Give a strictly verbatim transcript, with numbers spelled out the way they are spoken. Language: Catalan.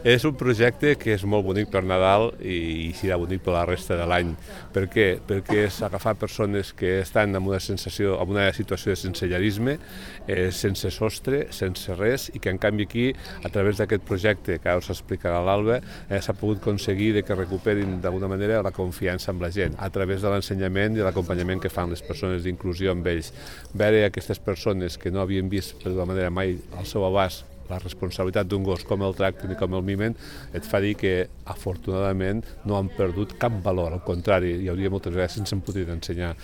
És un projecte que és molt bonic per Nadal i, i serà bonic per la resta de l'any. Per què? Perquè és agafar persones que estan en una sensació, en una situació de sensellarisme, eh, sense sostre, sense res, i que en canvi aquí, a través d'aquest projecte que ara us explicarà l'Alba, eh, s'ha pogut aconseguir de que recuperin d'alguna manera la confiança amb la gent, a través de l'ensenyament i l'acompanyament que fan les persones d'inclusió amb ells. Veure aquestes persones que no havien vist per d'alguna manera mai al seu abast la responsabilitat d'un gos, com el tracten i com el mimen, et fa dir que, afortunadament, no han perdut cap valor. Al contrari, hi hauria moltes vegades sense em podria ensenyar.